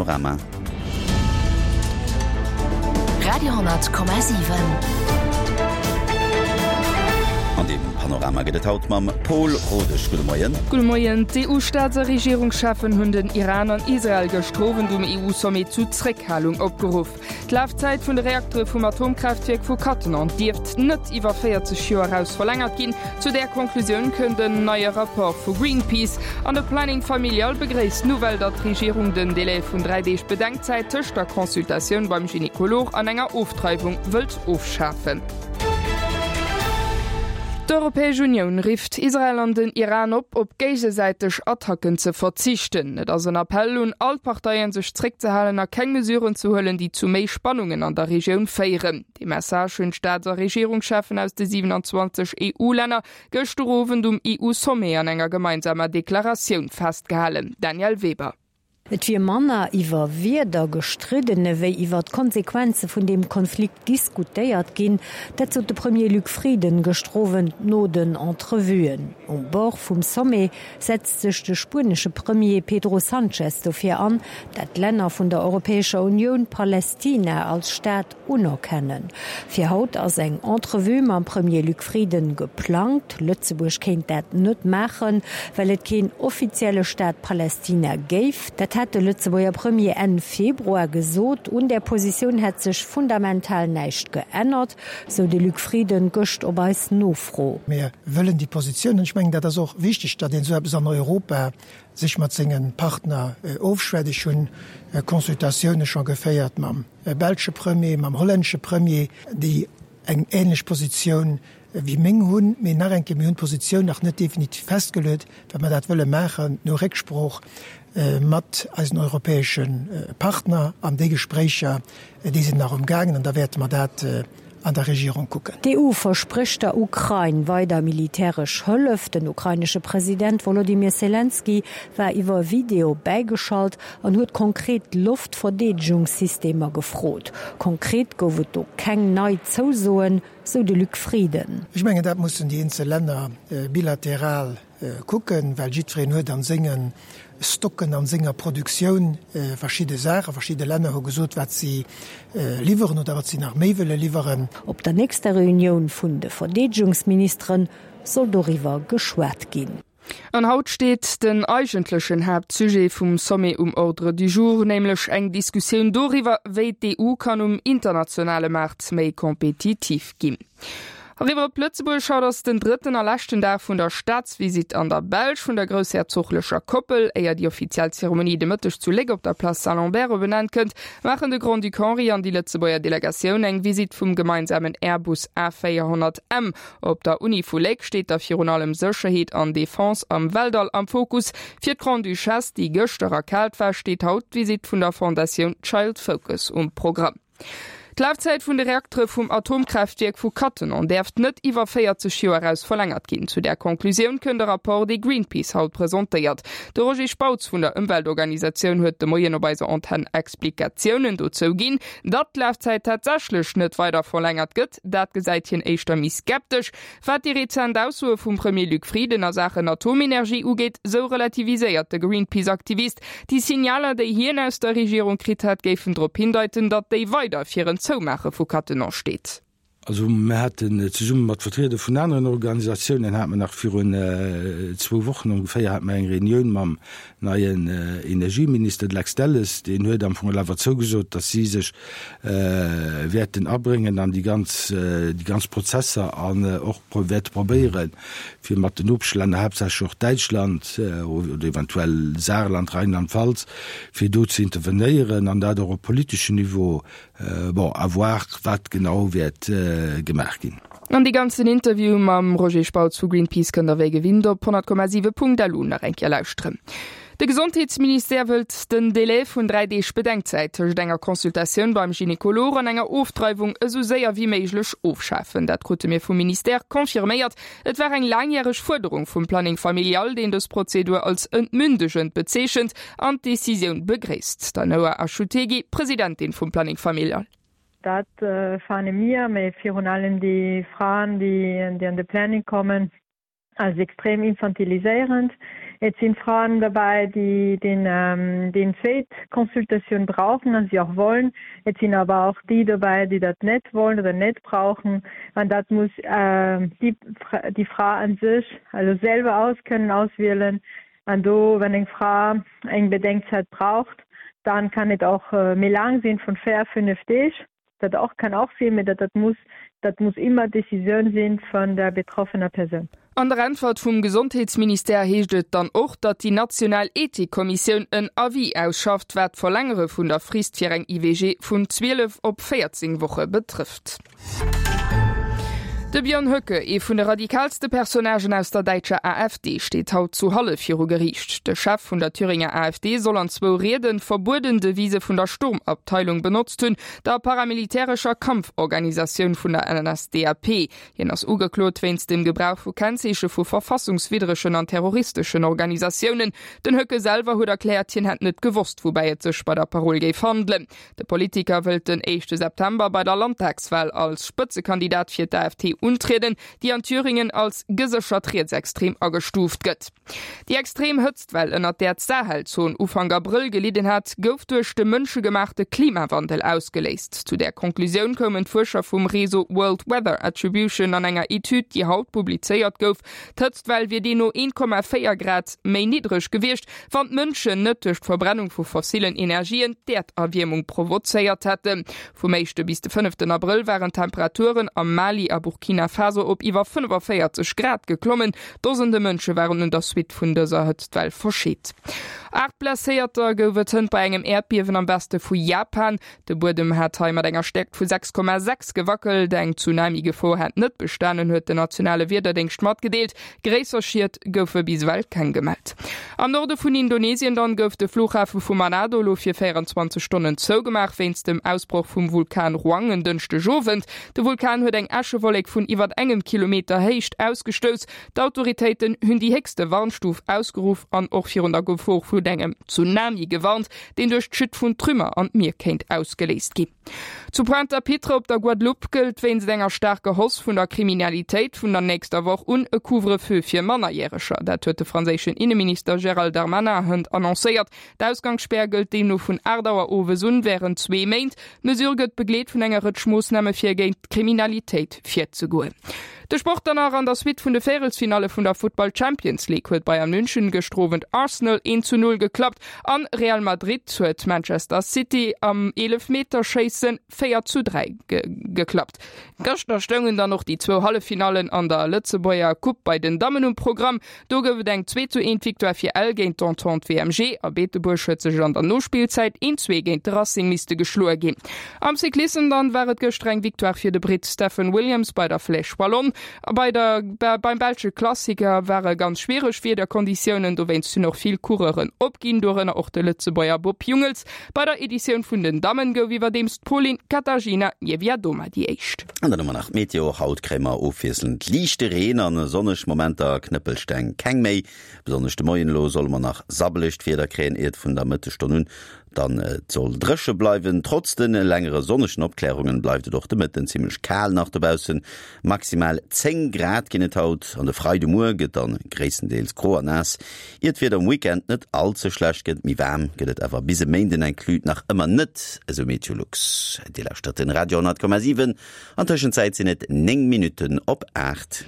Panorama. Radio,7. An deem Panorama gëtt et haut mam Pol Rodesch. Gudde Moien. Gudde Moien. D'EU-Staats a Regierungscheffen hunn den Iran an Israel gëschter Owend um EU-Sommet zu Zréckhalung opgeruff. D'Lafzäit vun de Reaktere vum Atomkraaftwierk vu Cattenom dierft net iwwer 40 Joer eraus verlängert ginn. Zu där Conclusioun kënnt en neie Rapport vu Greenpeace. An de Planning Familial begréisst d'Nouvelle, datt d'Regierung den Delai vun 3 Deeg Bedenkzäit tëscht der Consultatioun beim Gynekolog an enger Ofdreiwung wëllt ofschafen. D'Europäesch Unioun rifft Israel an den Iran op, op géigesäiteg Attacken ze verzichten. Et ass en Appell un all d'Parteien, sech zréckzehalen a keng Mesuren ze huelen, déi zu méi Spannungen an der Regioun féieren. Dee Message hunn d'Staats a Regierungscheffen aus de 27 EU-Länner gëschter Owend um EU-Sommet an enger gemeinsamer Deklaratioun festgehalen. Danièle Weber. Et wier manner iwwer Wierder gestridden ewéi iwwer d'Konsequenze vun deem Konflikt diskutéiert ginn. Dat sot de Premier Luc Frieden gëschter Owend no den Entrevuen. Um Bord vum Sommet setzt sech de spuenesche Premier Pedro Sanchez dofir an, dat d'Länner vun der Europäescher Unioun Palästina als Staat Unerkennen. Fir haut ass eng Entrevue mam Premier Luc Frieden geplangt. Lëtzebuerg kéint dat net maachen, well et keen offizielle Staat Palästina géif. Dat hat de Lëtzebuerger Premier Enn Februar gesot. Un där Positioun hätt sech fundamental näischt geännert, sou de Luc Frieden gëscht op eis Nofro. Mir wëllen déi Positioun, an ech mengen, dat ass och wichteg, datt een esou eppes an Europa sech mat senge Partner ofschwätzt. Ech hunn Consultatioune scho geféiert mam belsche Premier, mam hollännesche Premier, déi eng ähnlech Positioun wéi meng hunn. Mee nach eng Kéier, mir hunn d'Positioun nach net definitiv festgeluet, well mer dat wëlle maachen no Récksprooch mat eisen europäesche Partner. An déi Gespréicher, déi sinn nach umgaangen an da wäerte mer dat an der Regierung kucken. D'EU versprécht der Ukrain weider militäresch Hëllef. Den ukrainesche President Wolodymyr Selenskyj war iwwer Video bäigeschalt an huet konkret Loftverdeedegungssystemer gefrot. Konkret gouf et do keng nei Zousoen, sou de Luc Frieden. Ech mengen, dat mussen déi eenzel Länner bilateral kucken, well jiddwereen huet an senge Stocken, an senger Produktioun verschidde Saachen. Verschidde Länner hu gesot, wat si liwweren oder wat si nach méi wëlle liwweren. Op der nächster Reunioun vun de Verdeedegungsministere soll doriwwer geschwat ginn. An haut steet den eigentlechen Haaptsujet vum Sommet um Ordre du jour, nämlech eng Diskussioun doriwwer, wéi d'EU kann um internationale Maart méi kompetitiv ginn. Eriwwer op Lëtzebuerg, Haut ass den drëtten a leschten Dag vun der Staatsvisitt an der Belsch vun der groussherzoglecher Koppel. Éier déi offiziell Zeremonie de Mëtteg zu Léck op der Place Saint-Lambert op en Enn kënnt, maachen de Grand-Duc Henri an déi Lëtzebuerger Delegatioun eng Visitt vum gemeinsamen Airbus A400M. Op der Uni vu Léck steet da virun allem Sécherheet an Defense am Weltall am Fokus. Fir d'Grande-Duchesse, déi gëschter erkaalt war, steet haut d'Visitt vun der Fondatioun Child Focus um Programm. D'Lafzäit vun de Reaktere vum Atomkraaftwierk vu Cattenom däerft net iwwer 40 Joer eraus verlängert ginn. Zu där Conclusioun kënnt e Rapport, dee Greenpeace haut presentéiert. De Roger Spautz vun der Ëmweltorganisatioun huet de Moien op eiser Antenn Explikatiounen dozou ginn. Datt d'Lafzäit tatsächlech net weider verlängert gëtt, dat gesäit hien éischter méi skeptesch. Wat déi rezent Aussoe vum Premier Luc Frieden a Saachen Atomenergie ugeet, sou relativiséiert de Greenpeace-Aktivist. Déi Signaler, déi hien aus der Regierung kritt hätt, géifen drop hindeiten, datt déi weider fir en Zoumaache vu Cattenom steet. Also mir haten zesumme mat Vertrieder vun aneren Organisatiounen, hate mer nach virun zwou Wochen ongeféier, hate mer eng Reunioun mam neien Energieminister, de Lex Delles. Deen huet am Fong awer zougesot, datt si sech wäerten abréngen an déi ganz, déi ganz Prozesser an och wäerte probéieren, fir mat den Nopeschlänner, haaptsächlech och Däitschland oder eventuell Saarland, Rheinland-Pfalz, fir do ze intervenéieren an dat och op politeschem Niveau. Bon, à voir, wat genau wäert gemaach ginn. An dee ganzen Interview mam Roger Spautz vu Greenpeace kënnt der wéi gewinnt op 100,7.lu nach eng Kéier lauschteren. De Gesondheetsministère wëllt den Delai vun 3 Deeg Bedenkzäit tëscht enger Consultatioun beim Gynekolog an enger Ofdreiwung esou séier wéi méiglech ofschafen. Dat krute mir vum Ministère confirméiert. Et war eng laangjäreg Fuerderung vum Planning Familial, deen dës Prozedur als entmündegend bezeechent an d'Decisioun begréisst. D'Ainoa Achutegui, Presidentin vum Planning Familial. Dat fane mir, mee virun allem déi Fraen, déi an de Planning kommen. Als extrem infantiliséierend. Et sinn Fraen derbäi, déi den déi zweet Consultatioun brauchen an si och wollen. Et sinn awer och déi dobäi, déi dat net wollen oder net brauchen. An dat muss déi déi Fra an sech also selwer aus kënnen auswielen. An do, wann eng Fra eng Bedenkzäit braucht, dann kann et och méi laang sinn, vun 4, 5 Deeg. Dat och kann och sinn, mee dat dat muss dat muss immer d'Decisioun sinn vun der betroffener Persoun. An der Äntwert vum Gesondheetsministère heescht et dann och, datt déi national Ethikkommissioun en Avis ausschafft, wat d'Verlängere vun der Frist fir eng IVG vun 12 op 14 Woche betrëfft. De Björn Höcke, ee vun de radikaalste Personnagen aus der däitscher AfD, steet haut zu Halle viru Geriicht. De Chef vun der Thüringer AfD soll an zwou Rieden verbueden Devise vun der Sturmabteilung benotzt hunn, der paramilitärescher Kampforganisatioun vun der NSDAP. Hien ass ugeklot wéinst dem Gebrauch vu Kennzeeche vu verfassungswiddregen an terroristeschen Organisatiounen. Den Höcke selwer huet erkläert, hien hätt net gewosst, woubäi et sech bei der Parole géif handelen. De Politiker wëllt den éischte September bei der Landtagswal als Spëtzekandidat fir d'AfD untrieden, déi an Thüringen als geséchert rietsextrem agestuuft gëtt. Déi extrem Hëtztwell, ënnert där d'Sahelzon Ufank Abrëll gelidden hat, gouf duerch de mënschegemaachte Klimawandel ausgeléist. Zu där Conclusioun koumen d'Fuerscher vum Réseau World Weather Attribution an enger Etüd, déi haut publizéiert gouf. D'Hëtztwell wier deemno 1,4 Grad méi niddreg gewiescht, wann d'Mënschen net duerch d'Verbrennung vu fossillen Energien d'Äerderwiermung provozéiert hätten. Vum éischte bis de fënneften Abrëll waren d'Temperaturen am Mali a Burkina Faso op iwwer 45 Grad geklommen. Dosende Mënsche waren un der Suite vun dëser Hëtztwell verscheet. 8 Blesséierter gouf et hënt bei engem Äerdbiewen am Weste vu Japan. De Buedem hat hei mat enger Stäerkt vu 6,6 gewackelt. Eng Tsunami-Gefor hätt net bestanen, huet den nationale Wiederdéngscht matgedeelt. Gréisser Schied goufe bis ewell keng gemellt. Am Norde vun Indonesien dann gouf de Flughafe vu Manado elo fir 24 Stonnen zougemaach wéinst dem Ausbroch vum Vulkan Ruang en Dënschdegowend. De Vulkan huet eng Äschewollek vun iwwert engem Kilometer Héicht ausgestouss. D'Autoritéiten hunn déi héchste Warnstuf ausgeruff an och virun der Gefor vun engem Tsunami gewarnt. deen duerch d'Chute vun Trümmer an d'Mier kéint ausgeléist ginn. Zu Pointe-à-Pitre op der Guadeloupe gëllt wéinst enger staarker Hausse vun der Kriminalitéit vun der nächster Woch un e Couvre-feu fir Mannerjäreger. Dat huet de franséischen Inneminister Gérald Darmanin hënt annoncéiert. D'Ausgangsspär gëllt deemno vun 8 Auer owes un wärend zwee Méint. D'Mesure gëtt begleet vun enger Rëtsch Moossname fir géint d'Kriminalitéit virzegoen. De Sport dann nach, An der Suite vun de Véierelsfinalle vun der Futtball Champions League huet Bayern München gëschter Owend Arsenal 1 zu 0 geklappt an Real Madrid huet Manchester City am Eelefmeterschéissen 4 zu 3 geklappt. Gëschter stoungen dann och déi zwou Halleffinallen an der Lëtzebuerger Coupe bei den Dammen um Programm. Do gouf et eng 2 zu 1 Victoire fir Ell géint d'Entente WMG a Beetebuerg huet sech an der Nospillzäit 1 2 géint de Racing misste geschloe ginn. Am Cyclissem dann war et gëschter eng Victoire fir de Britt Stephen Williams bei der Flèche Wallonne. A bei der beim belsche Klassiker ware ganz schwiereg Wiederkonditiounen, dowéinst hunn och vill Coureuren opginn, dorënner och de Lëtzebuerger Bob Jungels. Bei der Editioun vun den Dammen gouf iwwerdeems d'Polin Katarzyna Niewiadoma déi éischt. An dann hu mer nach d'Meteo, Haut kréie mer ofwiesselnd liichte Reen an sonneg Momenter, Knëppelsteng keng méi. Besonnesch de Moien elo solle mer nach sabbelegt Wieder kréien, iert vun der Mëttesstonn un dann et soll dréche bleiwen. Trotz de längere sonnegen Opklärungen bleift et och de Mëtten zimmlech kal nach dobaussen. Maximal 10 Grad ginn et haut an de Freidemuer gëtt dann gréisstendeels gro a naass, ier d'Wieder um Weekend net all ze schlecht gëtt. Méi waarm gëtt et awer bis e Méinden inclus nach ëmmer net, esou Meteolux. Dir lauschtert den Radio 10,7. An Tëschenzäit sinn et 9 Minutten op 8.